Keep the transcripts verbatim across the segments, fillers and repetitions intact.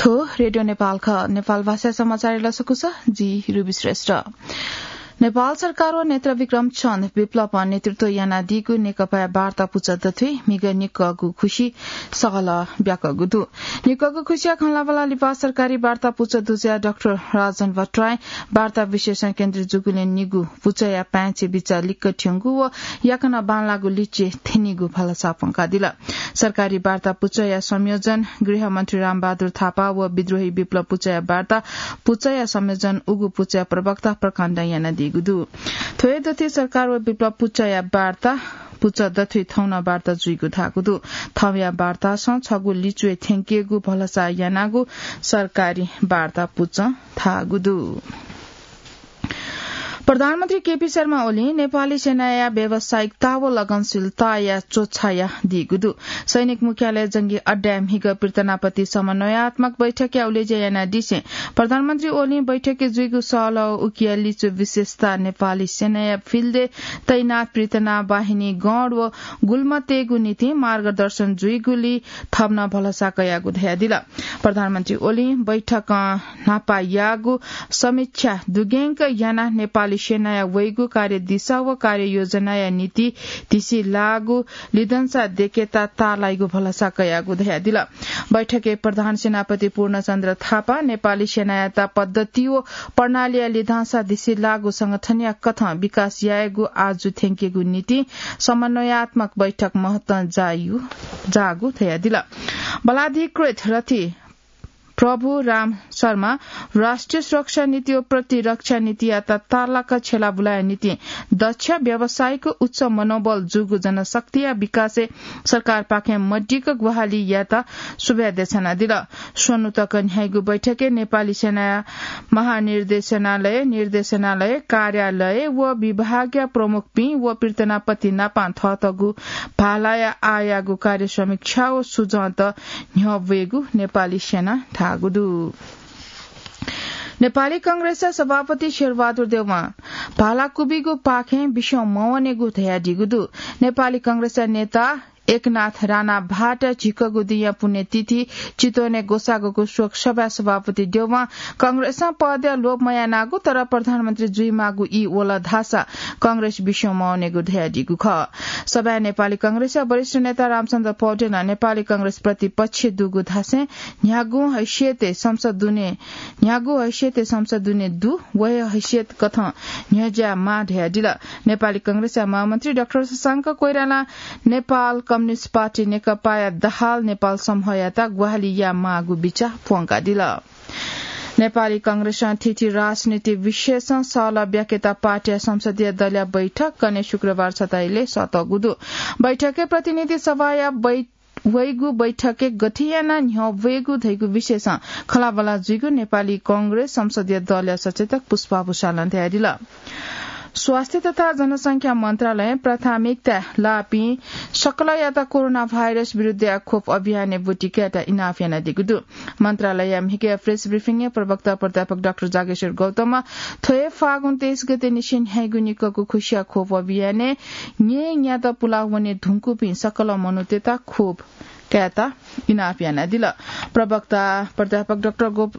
रेडियो नेपाल ख, नेपाल भाषा समाचार लसकुस, जि रुबी श्रेष्ठ। नेपाल सरकार व नेत्र विक्रम चन्द विप्लवं नेतृत्व यानादीगु नेकपाया वार्ता पुचः दथुइ म्हिगः निकःगु खुसी सहलह ब्याकःगु दु। निकःगु खुसिया खँल्हाबल्हा लिपा सरकारी वार्ता पुचः दुजया डाक्टर राजन भट्टराई वार्ता विशेषं केन्द्रित जूगुलिं निगू पुचःया पाय्छि बिचाः लिक्क थ्यंगु व याकनं बांलाःगु लिच्वय् थ्यनीगु भलसा प्वंकादिल। सरकारी वार्ता पुचःया संयोजन गृहमन्त्री रामबहादुर थापा व विद्रोही विप्लव पुचःया वार्ता पुचःया संयोजन उगु पुचःया प्रवक्ता प्रखण्डं यानादीगु दु। थ्व हे दथुइ सरकार व विप्लव पुचःया वार्ता पुचः दथुइ थौं नं वार्ता जुइगु धाःगु दु। थौंया वार्तासं छगू लिच्वय् थ्यंकेगु भलसा यानागु सरकारी वार्ता पुचं धाःगु दु। प्रधानमन्त्री केपी शर्मा ओलीं नेपाली सेनाया व्यावसायिकता व लगनशीलताया च्वछाया दीगु दु। सैनिक मुख्यालय जंगी अड्डाय् म्हिगः पीर्तनापति समन्वयात्मक बैठकया उलेज्या यानादिसें प्रधानमन्त्री ओलीं बैठकय् जुइगु सहलह व उकिया लिच्वय् विशेषता नेपाली सेनाया फिल्डय् तैनात पीर्तना वाहिनी गण व गुल्मतय्‌गु निंतिं मार्गदर्शन जुइगुली थप नं भलसा कयागु धयादिल। प्रधानमन्त्री ओलीं बैठकं न्हापा याःगु समीक्षा दुग्यंक यानाः नेपाली सेनाया वइगु कार्यदिशा व कार्ययोजनाया निंतिं धिसिलाःगु लिधंसा देकेता ताःलाइगु भलसा कयागु धयादिल। बैठकय् प्रधान सेनापति पूर्णचन्द्र थापा नेपाली सेनायात पद्धति व प्रणालीया लिधंसा धिसिलाःगु संगठनया कथं विकास यायेगु आजु थ्यंकेगु निंतिं समन्वयात्मक बैठक महत्वं जायु, जाःगु धयादिल। बलाधिकृत रथी प्रभु राम शर्मा राष्ट्रिय सुरक्षा नीति व प्रतिरक्षा नीतियात तालाक छ्यला बुलाया निंतिं दक्ष, व्यावसायिक, उच्च मनोबल जूगु जनशक्तिया विकासय् सरकारपाखें मदिक्क ग्वाहालि यायेत सुभाय् देछानादिल। स्वन्हु तक न्ह्याइगु बैठकय् नेपाली सेनाया महानिर्देशनालय, निर्देशनालय, कार्यालय व विभागया प्रमुखपिं व पीर्तनापति नाप थःतःगु भालाया आःयागु कार्य समीक्षा व सुझावत न्ह्यब्वयेगु नेपाली सेनां धाःगु दु। नेपाली कांग्रेसया सभापति शेरबहादुर देवां भाला क्वबिगु पाखें बिस्युं मवनेगु धयादीगु दु। नेपाली कांग्रेसया नेता एकनाथ राणा भाट झिक्कगु दिंया पुण्यतिथि चितवनय् ग्वसाःगु शोक सभाय् सभापति देवां कांग्रेसं पदया लोभ मयानागु तर प्रधानमन्त्री जुइमाःगु ई वल धाःसा कांग्रेस बिस्युं मवनेगु धयादीगु खः। सभाय् नेपाली कांग्रेसया वरिष्ठ नेता रामचन्द्र पौडेलं नेपाली कांग्रेस प्रतिपक्ष दुगु धासें न्ह्यागु हैसियतय् संसद दुने, न्ह्यागु हैसियतय् संसद दुने दु, व हे हैसियत कथं न्ह्यज्या माः धयादिल। नेपाली कांग्रेसया महामन्त्री डाक्टर शशांक कोइरालां नेपाल कम्युनिस्ट पार्टी नेकपाया दाहाल नेपाल समूहयात ग्वाहालि यायेमाःगु बिचाः प्वंकादिल। नेपाली कांग्रेसं थीथी राजनीतिक विषयसं सहलह ब्याकेत पार्टीया संसदीय दलया बैठक गन शुक्रबार सताइले सःतःगु दु। बैठकय् प्रतिनिधि सभाया बै-, वइगु बैठकय् गथे यानाः न्ह्यब्वयेगु धइगु विषयसं खँल्हाबल्हा जुइगु नेपाली कांग्रेस संसदीय दलया सचेतक पुष्पा भुसालं धयादिल। स्वास्थ्य तथा जनसंख्या मन्त्रालयं प्राथमिकता लाःपिं सकलयात कोरोना भाइरस विरुद्धया खोप अभियानय् ब्वति कायेत इनाप यानादीगु दु। मन्त्रालयया म्हिगः प्रेस ब्रिफिङय् प्रवक्ता प्राध्यापक डाक्टर जागेश्वर गौतमं थ्व हे फागुन तेइस गते निसें न्ह्याइगु निकःगु खुसिया खोप अभियानय् न्यय्‌न्यात पुला वने धुंकूपिं सकल मनूतय्‌त खोप कायेत इनाप यानादिल। प्रवक्ता प्राध्यापक डाक्टर गौ-,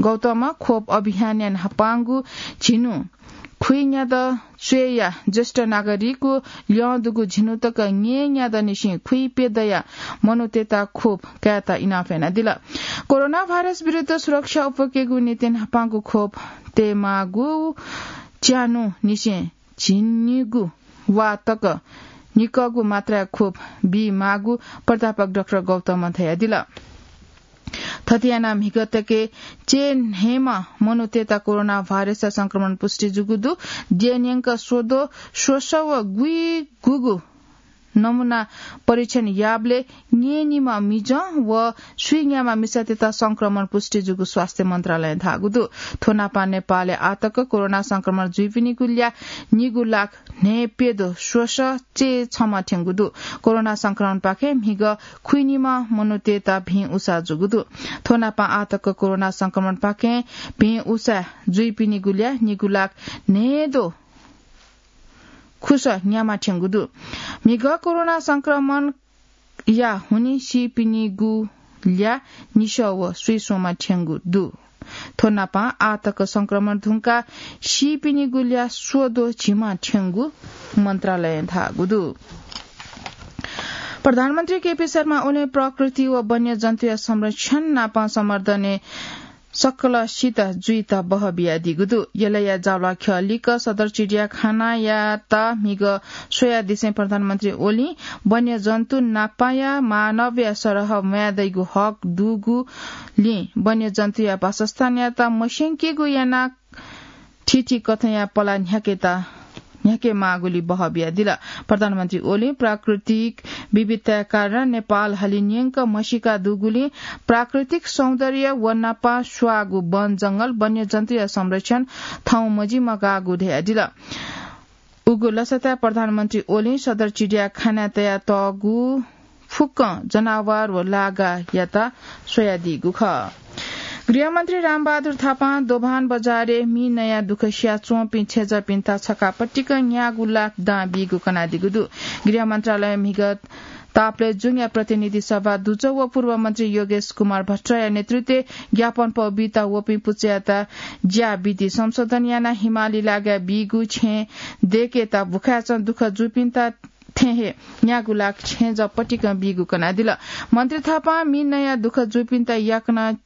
गौतमं खोप अभियानया न्हापांगु झिन्हु खुइन्यादँ च्वय्‌या ज्येष्ठ नागरिक व ल्यं दुगु झिन्हु तक न्यय्‌न्यादँ निसें खुइप्यदँया मनूतय्‌त खोप कायेत इनाप यानादिल। कोरोना भाइरस विरुद्ध सुरक्षा उपायय् न्ह्यागु न्हापांगु खोप तयेमाःगु च्यान्हु निसें झिंनिगू वा तक निकःगु मात्राय् खोप बीमाःगु प्राध्यापक डाक्टर गौतमं धयादिल। थथे यानाः म्हिगः तक च्यान्हय्‌म्ह मनूतय्‌त कोरोना भाइरसया संक्रमण पुष्टि जूगु दु। द्यः न्यंक स्वद्वः, स्वसः व गुइगुगु नमूना परीक्षण याःबलय् न्यय्‌निम्ह मिजं व स्वीन्याम्ह मिसातय्‌त संक्रमण पुष्टि जूगु स्वास्थ्य मन्त्रालयं धाःगु दु। थ्व नापं नेपालय् आःतक कोरोना संक्रमण जुइपिनिगु ल्याः निगू लाख न्हय्‌प्यद्वः स्वसः चय् छम्ह थ्यंगु दु। कोरोना संक्रमणपाखें म्हिगः खुइनिम्ह मनूतय्‌त भिं उसाः जूगु दु। थ्व नापं आःतक कोरोना संक्रमणपाखें भिं उसाः जुइपिनिगु ल्याः निगू लाख न्हय्‌द्वः खुसः न्याम्ह थ्यंगु दु। म्हिगः कोरोना संक्रमणया हुनिं सीपिनिगु ल्याः निसः व स्वीस्वम्ह थ्यंगु दु। थ्व नापं आःतक संक्रमण धुंकाः सीपिनिगु ल्याः स्वद्वः झिम्ह थ्यंगु मन्त्रालयं धाःगु दु। प्रधानमन्त्री केपी शर्मा ओलीं प्रकृति व वन्यजन्तुया संरक्षण नापं संवर्धनय् सकलसित जुइत बह बियादीगु दु। यलया जावलाख्यः लिक्क सदर चिडियाखानायात म्हिगः स्वयादिसें प्रधानमन्त्री ओलीं वन्यजन्तु नापया मानवया सरह म्वायेदइगु हक दुगुलिं वन्यजन्तुया वासस्थानयात मस्यंकीगु यानाः थीथी कथंया पला न्ह्याकेत न्ह्याके माःगुली बह बियादिल। प्रधानमन्त्री ओलीं प्राकृतिक विविधताया कारण नेपाल हलिंन्यंक म्हसीका दुगुलिं प्राकृतिक सौन्दर्य व नापं स्वाःगु वन जंगल वन्यजन्तुया संरक्षण थौं मजिमगाःगु धयादिल। उगु लसताय् प्रधानमन्त्री ओलीं सदर चिडियाखानाय् तयातःगु फुक्कं जनावर व लागायात स्वयादीगु खः। गृहमन्त्री रामबहादुर थापां दोभान बजारय् मि नयाः दुःख सियाच्वंपिं छेँजःपिन्त छकाः पतिकं न्यागू लाख दां बीगु कनादीगु दु। गृह मन्त्रालयं म्हिगः तापालय् जुङया प्रतिनिधि सभा दुजः व पूर्व मन्त्री योगेश कुमार भट्टराईया नेतृत्वय् ज्ञापन पौ बीत वःपिं पुचःयात ज्या विधि संशोधन यानाः हिमाली लागाय् बीगु छेँ दय्केत भुखाय् च्वं दुःख जूपिन्त थें हे न्यागू लाख छेँजः पतिकं बीगु कनादिल। मन्त्री थापां मि नयाः दुःख जूपिन्त याकनं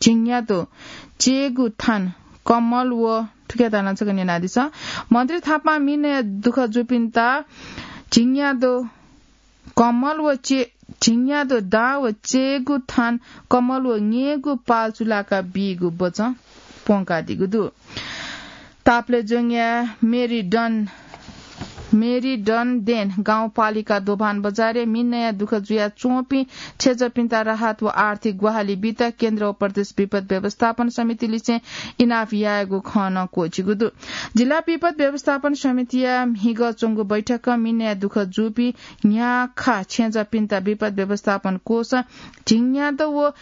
झिंन्याद्वः चयेगु थान कमल व थुकियात नं छकः न्यनादिसँ। मन्त्री थापां मि नयाः दुःख जूपिन्त झिंन्याद्वः कमल व चे-, झिंन्याद्वः दां व चयेगु थान कमल व ङयेगु पाल चुलाका बीगु बचं प्वंकादीगु दु। तापालय् जुङया मेरीडन, मेरीडनदेन गाउँपालिका दोभान बजारय् मि नयाः दुःख जुयाच्वंपिं छेँजःपिन्त राहत व आर्थिक ग्वाहालि बीत केन्द्र व प्रदेश विपद व्यवस्थापन समितिलिसें इनाप यायेगु खँ नं क्वःछिगु दु। जिल्ला विपद व्यवस्थापन समितिया म्हिगः च्वंगु बैठकं मि नयाः दुःख जूपिं न्ह्याखा छेँजःपिन्त विपद व्यवस्थापन कोषं झिंन्याद्वः व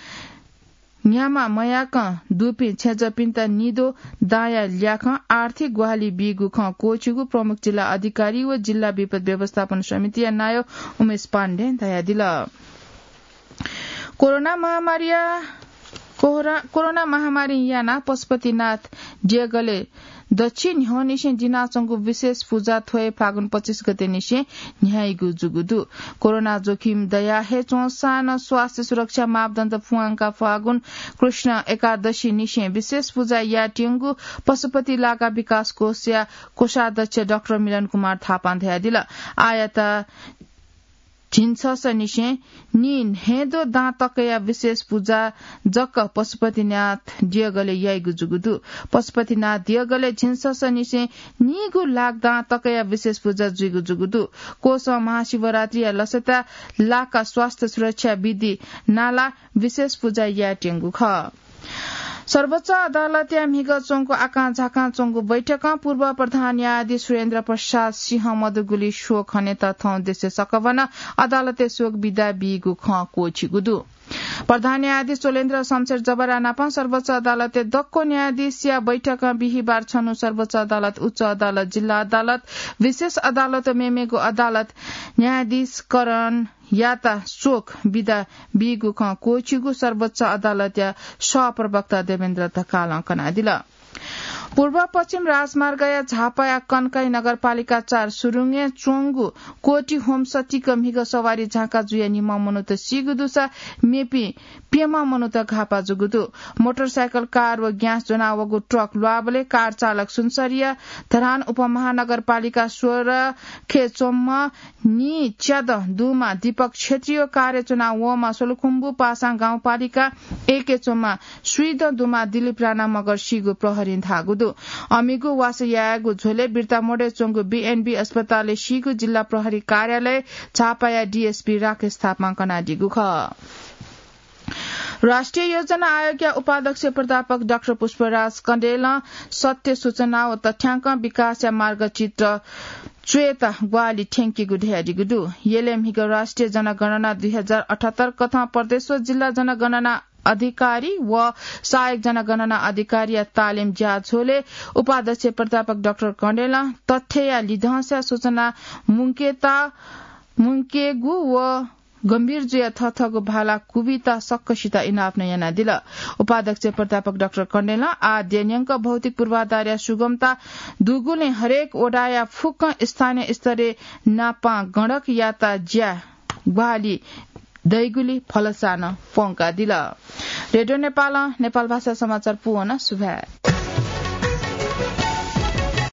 न्ह्यामा मयाकं दुपिं छेँजःपिन्त निद्वः दांया ल्याखं आर्थिक ग्वाहालि बीगु खँ क्वःछिगु प्रमुख जिल्ला अधिकारी व जिल्ला विपद व्यवस्थापन समितिया नायः उमेश पाण्डें धयादिल। कोरोना महामारीया, कोहरा-, कोरोना महामारी यानाः पशुपतिनाथ देगलय् दच्छि न्ह्यःनिसें दिनाच्वंगु विशेष पुजा थ्व हे फागुन पच्चिस गतेनिसें न्ह्याइगु जूगु दु। कोरोना जोखिम दया हे च्वंसां नं स्वास्थ्य सुरक्षा मापदण्ड पूवंकाः फागुन कृष्ण एकादशीनिसें विशेष पुजा यायेत्यंगु पशुपति लागा विकास कोषया कोषाध्यक्ष डाक्टर मिलन कुमार थापां धयादिल। आःयात झिंछसःनिसें नीन्हय्द्वः दां तकया विशेष पुजा जक पशुपतिनाथ देगलय् याइगु जूगु दु। पशुपतिनाथ देगलय् झिंछसःनिसें नीगू लाख दां तकया विशेष पुजा जुइगु जूगु दु। कोषं महाशिवरात्रिया लसताय् लाका स्वास्थ्य सुरक्षा विधि नालाः विशेष पुजा यायेत्यंगु खः। सर्वोच्च अदालतया म्हिगः च्वंगु आकां झाकां च्वंगु बैठकं पूर्व प्रधान न्यायाधीश सुरेन्द्र प्रसाद सिंह मदुगुली शोक हनेत थौं देशय् सकभनं अदालतय् शोक बिदा बीगु खँ क्वःछिगु दु। प्रधान न्यायाधीश चोलेन्द्र शमशेर जबरा नाप सर्वोच्च अदालतय् दक्व न्यायाधीशया बैठकं बिहिबार छन्हु सर्वोच्च अदालत, उच्च अदालत, जिल्ला अदालत, विशेष अदालत व मेमेगु अदालत न्यायाधीशकरण यात शोक बिदा बीगु खँ क्वःछिगु सर्वोच्च अदालतया सहप्रवक्ता देवेन्द्र ढकालं कनादिल। पूर्व पश्चिम राजमार्गया झापाया कन्काई नगरपालिका चार सुरुङय् च्वंगु कोटी होमसतिक म्हिगः सवारी झाँका जुयाः निम्ह मनूत सीगु दुसा मेपिं प्यम्ह मनूत घाःपाः जूगु दु। मोटरसाइकल, कार व ग्यास ज्वनावःगु ट्रक ल्वाःबलय् कार चालक सुनसरीया धरान उपमहानगरपालिका सोह्र खय् च्वंम्ह नीच्यादँ दुम्ह दीपक क्षेत्रीय, कारय् च्वनावंम्ह सोलुखुम्बु पासां गाउँपालिका एकय् च्वंम्ह स्वीदँ दुम्ह दिलीप राणा मगर सीगु प्रहरीं धाःगु दु। अमिगु वासः यायेगु झ्वलय् बिर्तामोडय् च्वंगु बीएनबी अस्पतालय् सीगु जिल्ला प्रहरी कार्यालय झापाया डीएसपी राकेश थापां कनादीगु खः। राष्ट्रिय योजना आयोगया उपाध्यक्ष प्राध्यापक डाक्टर पुष्पराज कँडेलं सत्य, सूचना व तथ्याङ्क विकासया मार्गचित्र च्वयेत ग्वाहालि थ्यंकीगु धयादीगु दु। यलय् म्हिगः राष्ट्रिय जनगणना दुई हजार अठहत्तर कथं प्रदेश व जिल्ला जनगणना अधिकारी व सहायक जनगणना अधिकारीया तालिम ज्याझ्वलय् उपाध्यक्ष प्राध्यापक डाक्टर कँडेलं तथ्यया लिधंसा सूचना मुंकेत, मुंकेगु व गम्भीर जुया थःथःगु भाला कुबिता सक्कसित इनाप नं यानादिल। उपाध्यक्ष प्राध्यापक डाक्टर कण्डेलं आद्य न्यंक भौतिक पूर्वाधारया सुगमता दुगुलिं हरेक वडाया फुक्क स्थानीय स्तरय् नापां गणक याता ज्या ग्वाहालि दइगुलि भलसा नं प्वंकादिल। रेडियो नेपालं नेपाल भाषा समाचार पूवन सुभाय्।